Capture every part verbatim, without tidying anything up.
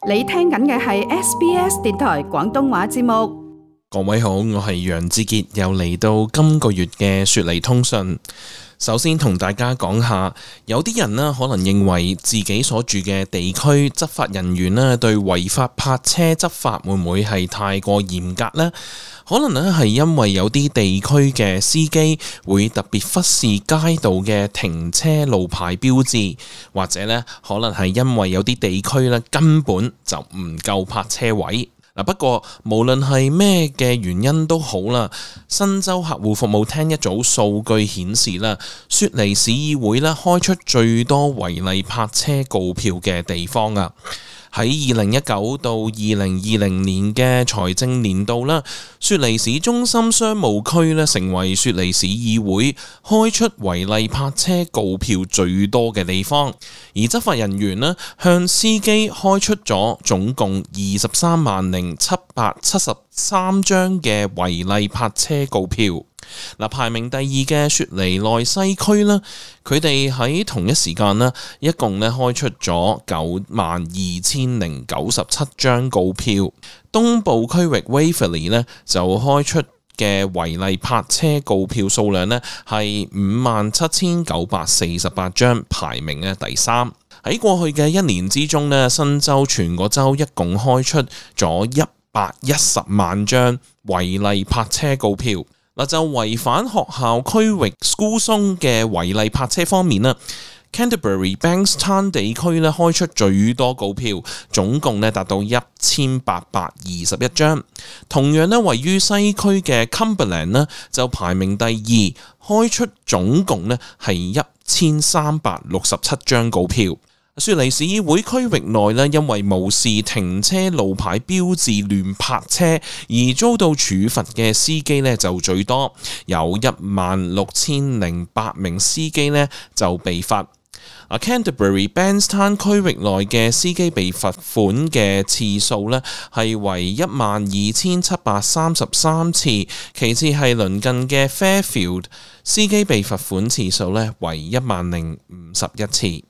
你聽緊嘅係 S B S 電台廣東話節目。各位好，我係楊志傑，又嚟到今個月嘅雪梨通訊。首先同大家講下，有啲人呢可能認為自己所住嘅地區執法人員呢對違法泊車執法會唔會係太過嚴格呢？可能呢係因為有啲地區嘅司機會特別忽視街道嘅停車路牌標誌，或者呢可能係因為有啲地區呢根本就唔夠泊車位。不過無論係咩嘅原因都好啦，新州客戶服務廳一組數據顯示啦，雪梨市議會咧開出最多違例泊車告票嘅地方啊。喺二零一九到二零二零年嘅財政年度啦，雪梨市中心商務區咧成為雪梨市議會開出違例泊車告票最多嘅地方，而執法人員咧向司機開出咗總共二十三萬零七百七十三張嘅違例泊車告票。嗱，排名第二嘅雪梨內西區啦，佢哋喺同一時間呢，一共咧開出咗九萬二千零九十七張告票。東部區域 Waverley 呢就開出嘅違例泊車告票數量呢係五萬七千九百四十八張，排名咧第三。喺過去嘅一年之中呢，新州全個州一共開出咗一百一十萬張違例泊車告票。嗱，就違反學校區域 School Zone 嘅違例泊車方面啦， Canterbury Bankstown 地區咧開出最多告票，總共咧達到一千八百二十一張。同樣咧位於西區嘅 Cumberland 咧就排名第二，開出總共咧係一千三百六十七張告票。雪梨市議會區域內咧，因為無視停車路牌標誌亂泊車而遭到處罰嘅司機咧就最多，有一萬六千零八名司機咧就被罰。啊 Canterbury Bankstown 區域內嘅司機被罰款嘅次數咧係為一萬二千七百三十三次，其次係鄰近嘅 Fairfield， 司機被罰款次數咧為一萬零五十一次。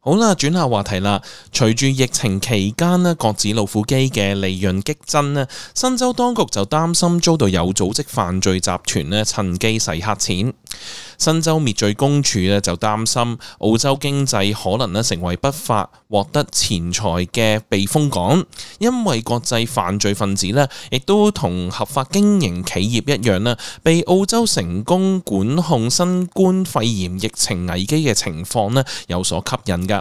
好啦，轉下話題啦。隨住疫情期間呢，角子老虎機嘅利潤激增呢，新州當局就擔心遭到有組織犯罪集團呢趁機洗黑錢。新州滅罪公署呢就擔心澳洲經濟可能呢成為不法獲得錢財嘅避風港，因為國際犯罪分子呢亦都同合法經營企業一樣呢，被澳洲成功管控新冠肺炎疫情危機嘅情況呢有所吸引㗎。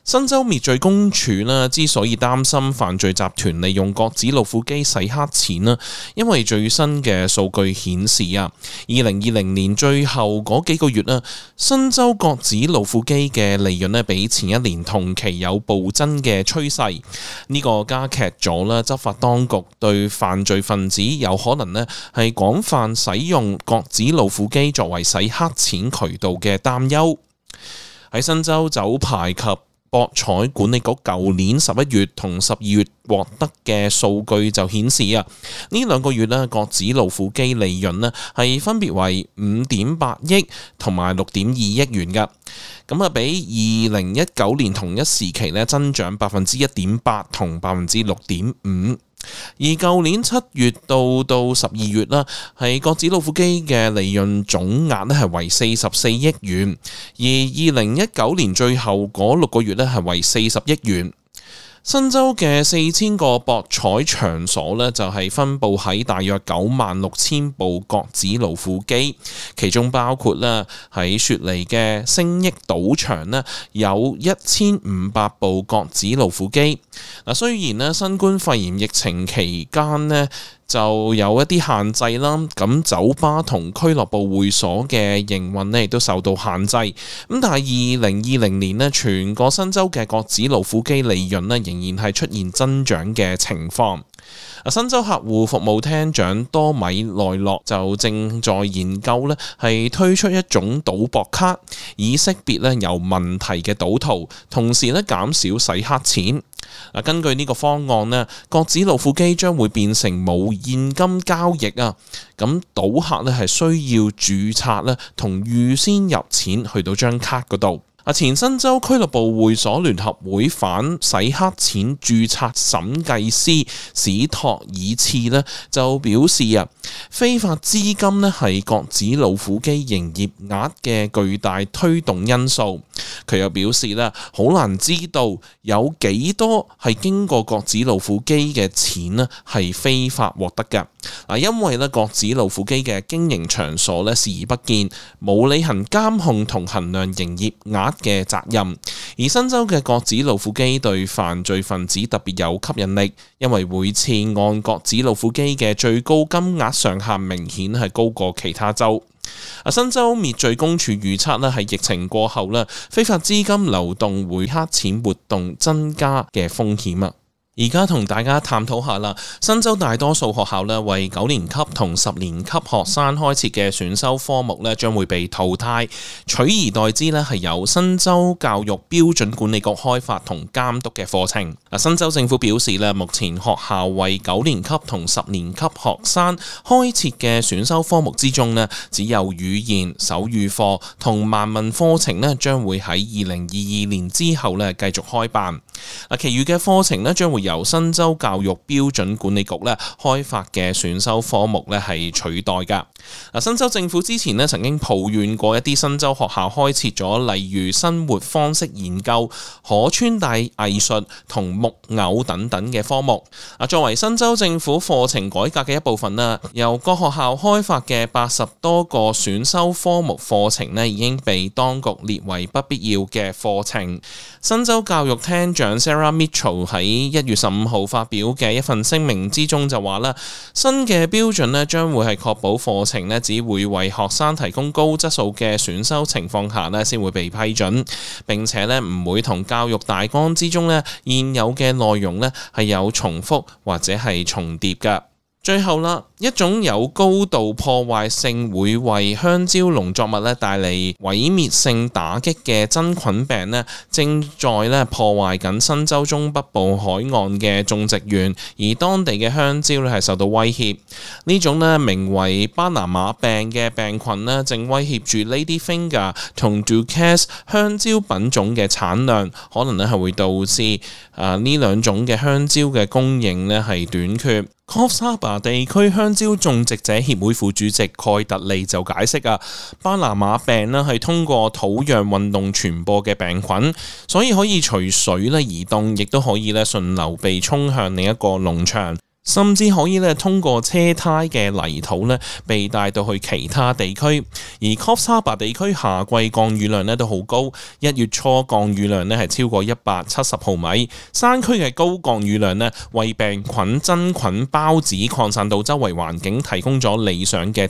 新州滅罪公署呢之所以擔心犯罪集團利用角子老虎機洗黑錢呢，因為最新嘅數據顯示啊，二零二零年最後嗰幾個月呢，新州角子老虎機嘅利潤呢比前一年同期有暴增嘅趨勢，呢、這個加劇咗啦執法當局對犯罪分子有可能呢係廣泛使用角子老虎機作為洗黑錢渠道嘅擔憂。喺新州酒牌及博彩管理局舊年十一月同十二月獲得嘅數據就顯示啊，呢兩個月呢角子老虎機利潤呢係分別為五點八億同埋六點二億元㗎，咁啊比二零一九年同一時期呢增長百分之一點八同百分之六點五。而舊年七月到到十二月啦，係角子老虎機嘅利潤總額咧係為四十四億元，而二零一九年最後嗰六個月咧係為四十億元。新州嘅四千個博彩場所呢，就係分佈喺大約九萬六千部角子老虎機，其中包括咧喺雪梨嘅星益賭場呢，有一千五百部角子老虎機。嗱，雖然呢新冠肺炎疫情期間呢就有一啲限制啦，咁酒吧同俱樂部會所嘅營運呢亦都受到限制。咁但係二零二零年呢，全個新州嘅角子老虎機利潤呢仍然係出現增長嘅情況。新州客戶服務廳長多米內洛就正在研究呢係推出一種賭博卡，以識別呢有問題嘅賭徒，同時呢減少洗黑錢。根據呢個方案呢，角子老虎機將會變成冇現金交易啊，咁賭客呢係需要註冊呢同預先入錢去到張卡嗰度。前新州俱樂部會所聯合會反洗黑錢註冊審計師史托爾茨呢就表示啊，非法資金呢係角子老虎機營業額嘅巨大推動因素。佢又表示呢，好難知道有幾多係經過角子老虎機嘅錢呢係非法獲得嘅。嗱，因為呢角子老虎機嘅經營場所呢視而不見，冇履行監控同衡量營業額嘅責任。而新州嘅角子老虎機對犯罪分子特別有吸引力，因為每次按角子老虎機嘅最高金額上限明顯係高過其他州。新州滅罪公署預測咧，喺疫情過後咧，非法資金流動會黑錢活動增加嘅風險啊！而家同大家探討下啦，新州大多數學校咧為九年級同十年級學生開設嘅選修科目咧將會被淘汰，取而代之咧係由新州教育標準管理局開發同監督嘅課程。嗱，新州政府表示咧，目前學校為九年級同十年級學生開設嘅選修科目之中咧，只有語言、手語課同盲文課程咧將會喺二零二二年之後咧繼續開辦。嗱，其餘嘅課程咧將會由新州教育標準管理局咧開發嘅選修科目咧係取代噶。嗱，新州政府之前咧曾經抱怨過一啲新州學校開設咗例如生活方式研究、可穿戴藝術同木偶等等嘅科目。啊，作為新州政府課程改革嘅一部分啦，由各學校開發嘅八十多個選修科目課程咧已經被當局列為不必要嘅課程。新州教育廳長 Sarah Mitchell 喺一月十五號發表嘅一份聲明之中就話啦，新嘅標準咧將會係確保課程咧只會為學生提供高質素嘅選修情況下咧先會被批准，並且咧唔會同教育大綱之中咧現有嘅內容咧係有重複或者係重疊㗎。最後啦，一種有高度破壞性會為香蕉農作物咧帶嚟毀滅性打擊嘅真菌病咧，正在咧破壞緊新州中北部海岸嘅種植園，而當地嘅香蕉咧係受到威脅。呢種咧名為巴拿馬病嘅病菌咧，正威脅住 Ladyfinger 同 Ducasse 香蕉品種嘅產量，可能咧係會導致啊呢兩種嘅香蕉嘅供應咧係短缺。Coffs Harbour 地區香蕉種植者協會副主席蓋特利就解釋啊，巴拿馬病咧係通過土壤運動傳播嘅病菌，所以可以隨水咧移動，亦都可以咧順流被沖向另一個農場。甚至可以咧通過車胎嘅泥土咧被帶到去其他地區，而 Coffs Harbour 地區夏季降雨量咧都好高，一月初降雨量咧係超過一百七十毫米。山區嘅高降雨量咧為病菌真菌孢子擴散到周圍環境提供咗理想嘅